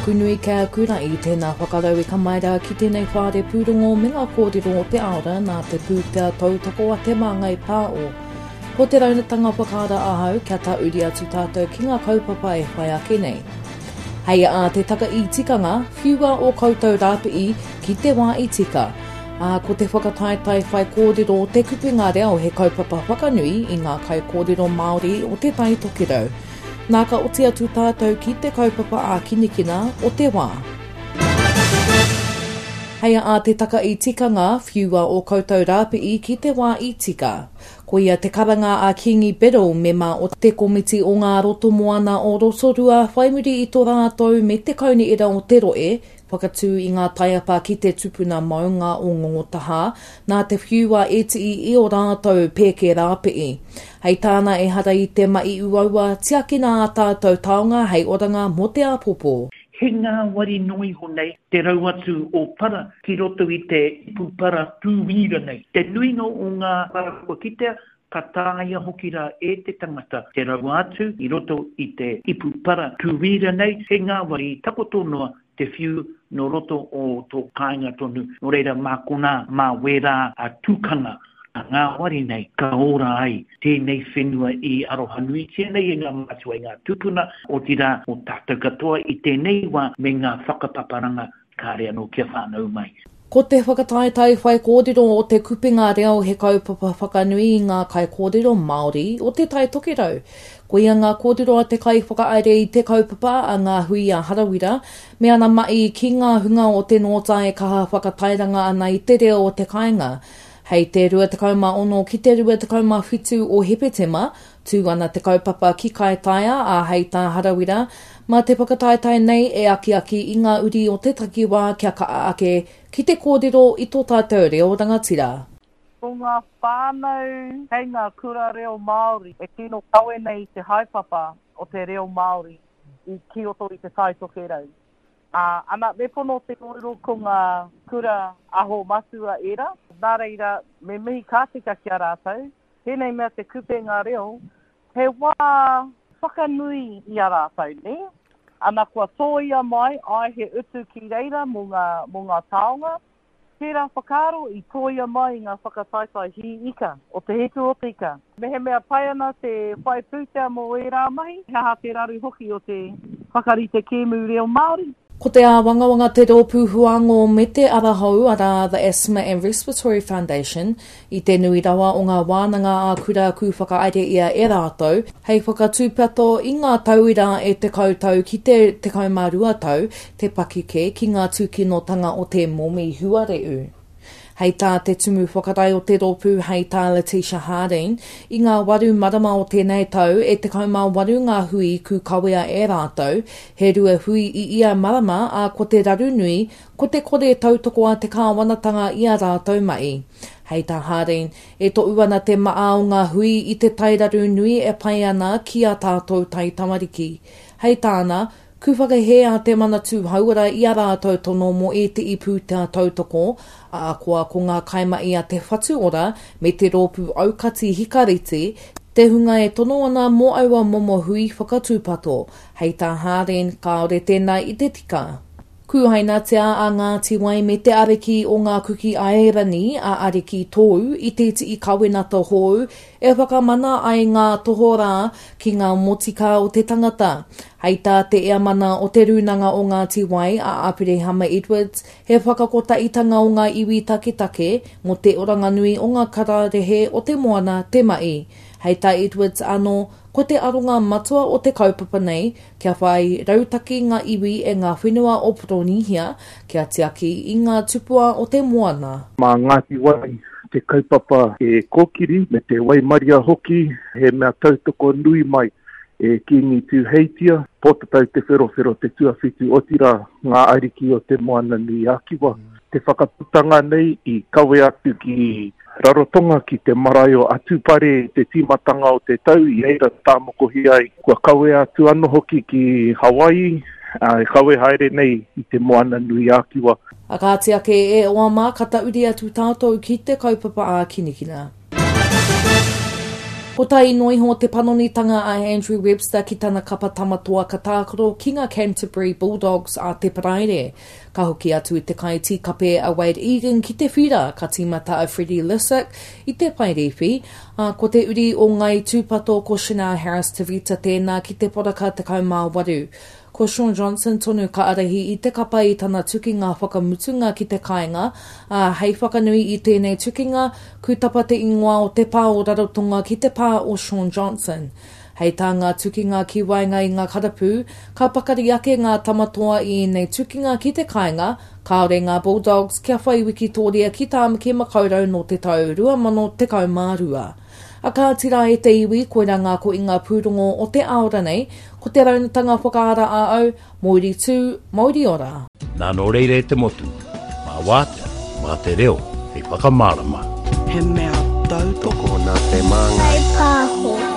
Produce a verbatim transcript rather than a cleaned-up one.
Tāku nui kia kura i tēnā whakarauika mai rā ki tēnei whare pūrongo me ngā kōrero o te aora nā te pūtea tautoko a Te Māngai Pāo. Ko te raunatanga whakaara ahau kia tāuri atu tātou ki ngā kaupapa e whai ake nei. Hei a te taka i tikanga, whiua o koutou rāpi'i ki te wā i tika. Ā, ko te whakataetae whai kōrero o te kupenga reo he kaupapa whakanui i ngā kaikōrero Māori o te Tai Tokerau. Nā ka oti atu tātou ki te kaupapa ākinikina o te wā. Hei a te taka i tikanga, whiua o koutou rāpi'i ki te wā i tika. Ko ia te karanga a Kingi Biddle, mema o te komiti o ngā roto moana o Rotorua, whai muri i tō rātou me te kaunihera o te roe, whakatū i ngā taiapa ki te tupuna maunga o Ngongotahā, nā te whiua e tii i o rātou pēke rāpi'i. Hei tāna ehara i te mahi uaua, tiakina ā tātou taonga hei oranga mō te āpōpō. He ngāwari noa iho nei te rau atu o para ki roto i te ipu para tūwīra nei. Te nuinga o ngā para kua kitea, ka taea hoki rā e te tangata te rau atu i roto i te ipu para tūwīra nei, he ngāwari takoto noa te whiu nō roto o tō kāinga tonu. Nō reira mā konā, mā wērā a tūkanga a ngāwari nei, ka ora ai tēnei whenua i arohanuitia nei e ngā mātua i ngā tūpuna, otirā o tātou katoa i tēnei wā me ngā whakapaparanga kāre anō kia whānau mai. Ko te whakataetae whaikōrero o te kupenga reo he kaupapa whakanui i ngā kaikōrero Māori o te Tai Tokerau. Ko ia ngā kōrero a te kaiwhakahaere i te kaupapa a ngā hui a Harawira, me ana mahi ki ngā hunga o te nōta e kaha whakatairanga ana i te reo o te kāinga. Hei te rua tekau mā ono ki te rua tekau mā whitu o Hepetema, tū ana te kaupapa ki Kaitaia a hei tā Harawira, mā te whakataetae nei e akiaki i ngā uri o te takiwā kia kaha ake ki te kōrero i tō tātou reo rangatira. Ko ngā whānau kei ngā kura reo Māori e tino kawe nei te haepapa o te reo Māori i ki roto i te Tai Tokerau. Uh, ana, me pono te kōrero ko ngā kura aho matua ērā. Nā reira, me mihi ka tika ki a rātou. Tēnei mea te kupenga reo, he wā whakanui i a rātou, ne? Ana kua tōia mai, ai he utu ki reira mō ngā, mō ngā taonga. Tērā whakaaro i tōia mai i ngā whakataetae hī ika, o te hiku o te ika. Mehemea pai ana te whai pūtea mō ērā mahi, he aha te raru hoki o te whakarite kēmu reo Māori. Ko te āwangawanga te rōpū huango me te ara hou arā The Asthma and Respiratory Foundation i te nui rawa o ngā wānanga ā kura ku whakaere ia e rātou, hei whakatūpato i ngā tauira e tekau tau ki te tekau mā rua tau, te pakeke ki ngā tūkinotanga o te momi huareu. Hei tā te tumu whakarae o te rōpū hei tā Letitia Harding, i ngā waru marama o tēnei tau e tekau mā waru ngā hui ku kawea e rātou, he rua hui i ia marama a ko te raru nui, ko te kore tautoko a te kāwanatanga i a rātou mai. Hei tā Harding, e tohu ana te maa o ngā hui i te tairaru nui e pai ana ki a tātou tai tamariki. Hei tāna, ku whakahē a te Manatū Hauora i a rātou tono mō e te pūtea tautoko, a koa ko ngā kaimahi a te Whatu Ora me te rōpū aukati hikareti, te hunga e tono ana mō aua momo hui whakatūpato. Hei tā Harding, kāore tēnā i te tika. Kūhainatia a Ngāti Wai me te ariki o ngā Kuki Airani a Ariki Tōu i te tii kawenata hou e whakamana ai ngā tohorā ki ngā motika o te tangata. Hei tā te eamana o te rūnanga o Ngāti Wai a Aperehama Edwards, he whakakotaitanga o ngā iwi taketake mō te oranganui o ngā kararehe o te moana te mahi. Hei tā Edwards anō, ko te aronga matua o te kaupapa nei, kia whai rautaki ngā iwi e ngā whenua o Poronihia, kia tiaki i ngā tupua o te moana. Mā Ngāti Wai te kaupapa e kōkiri me te waimaria hoki, he mea tautoko nui mai e Kīngi Tūheitia, Pōtatau te Wherowhero te tuawhitu otirā ngā ariki o te Moana Nui Ākiwa. Te whakaputanga nei i kawe atu ki Rarotonga ki te marae o Atupare i te tīmatanga o te tau i reira tāmokohi ai. Kua kawe atu anō hoki ki Hawaii, e kawe haere nei i te Moana Nui Ākiwa. A kāti ake e oa mā ka tauri atu tātou ki te kaupapa ākinikina. Ko Kotahi noa iho te panonitanga a Andrew Webster ki tana kapa tamatoa ka tākaro ki ngā Canterbury Bulldogs a te Paraire. Ka hoki atu i te kaitīkape a Wade Egan ki te whira, ka tīmata a Freddie Lussick i te paerewhi, ā, ko te uri o Ngāi Tūpato ko Chanel Harris-Tavita tēnā ki te poraka tekau mā waru. Ko Shaun Johnson tonu ka ārahi i te kapa i tana tukinga whakamutunga ki te kāinga, ā, hei whakanui i tēnei tukinga, kūtapa te ingoa o te pā o Rarotonga ki te pā o Shaun Johnson. Hei tā ngā tukinga ki waenga i ngā karapu, ka pakari ake ngā tamatoa i ēnei tukinga ki te kāinga, kāore ngā Bulldogs kia whai wikitōria ki Tāmaki Makaurau nō te tau rua mano tekau mā rua. A kāti rā e te iwi, koirā ngā koinga pūrongo o te āora nei, ko te raunatanga whakaara a au, Mouri tū, Mouri ora. Nā nō reira e te motu, mā wātea, mā te reo, hei whakamārama. He mea tautoko nā te māngai. Hei pāho.